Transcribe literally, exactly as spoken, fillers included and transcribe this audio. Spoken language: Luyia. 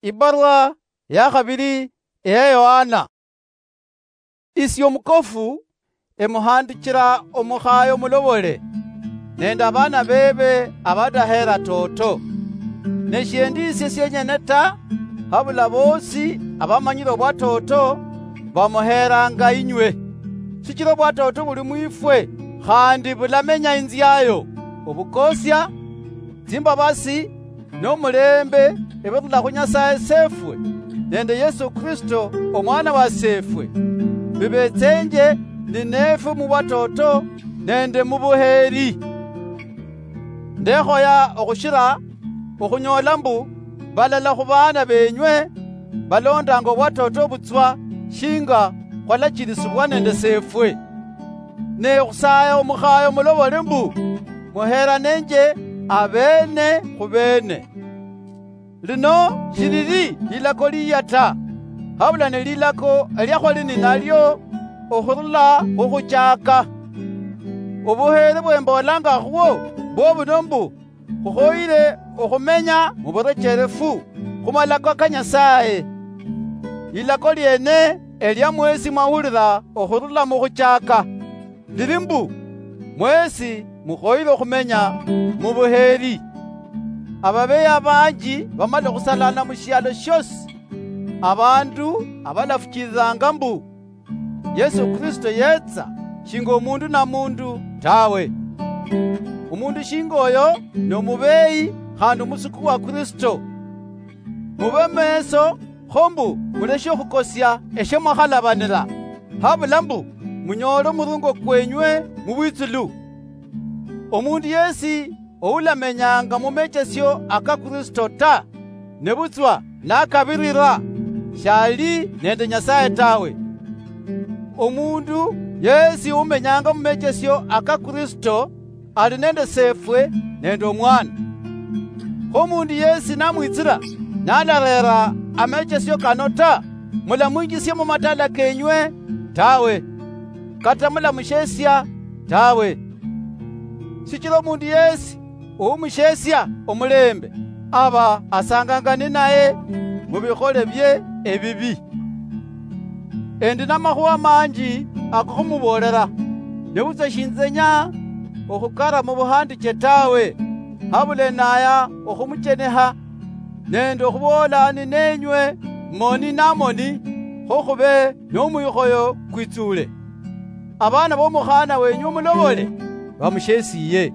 Ibarwa ya khabili eya Yohana. Isi omukofu emuhandichira omukhaayo mulobole, nende abaana bebe abadaheera toto. Ne shiendi isie sienyene ta, habula boosi abamanyire obwa toto bamuheeranga inywe. Sichira obwa toto buli mwifwe, khandi bulamenya inziayo, obukosia, tsimbabasi, nomulembe ebirula khu Nyasaye Sefwe nende Yesu Kristo Omwana wa Sefwe, bibetsenje ninefwe mubwatoto nende mubuheri. Ndekhoya okhushira okhunyola mbu balala khubaana benywe balondanga obwatoto butswa shinga khwalachilisibwa nende Sefwe. Ne khusaya omukhayo mulobole mbu, muheranenje abene khubene. Lino shilili lilako liya ta, habula ni lilako eliakhwali ninalio okhurula khukhuchaka. Obuhere bwembolanga khwo bwobuno mbu, khukhoyire okhumenya muburecherefu khumalako ka Nyasaye. Lilako liene elia mwesi mwahulira okhurula mukhuchaka, lili mbu, mwesi mukhoyire okhumenya mubuheri. Ababeyi abanji bamala okhusalana mushialo shiosi, abandu abalafuchiriranga mbu, Yesu Kristo yetsa shinga omundu na mundu tawe. Omundu shinga oyo nomubeyi khandi omusuku wa Kristo. Mube meso, kho mbu muleshe okhukosia eshe mwakhalabanira, habula mbu munyoole omurungo kwenywe mubwitsulu. Omundu yesi oulamenyanga mumechesio aka Kristo ta, nebutswa nakabirira, shali nende Nyasaye tawe. Omundu yesi umenyanga mumechesio aka Kristo ali nende Sefwe nende Omwana. Kho omundu yesi namwitsira nalarera amechesio kano ta, mulamwinjisia mumatala kenywe tawe, kata mulamushesia tawe. Shichira omundu yesi oumushesia omulembe, aba asanganga ninaye mubikhole bie ebibi. Endi namakhuwa manji akokhumuboolera, nebutswa shinzenya okhukara mubuhandiche tawe, habula enaya okhumuchenekha, nende okhuboola ninenywe moni namoni, kho khube nomwikhoyo kwitsule. Abaana bomukhana wenywe omulobole bamushesiye.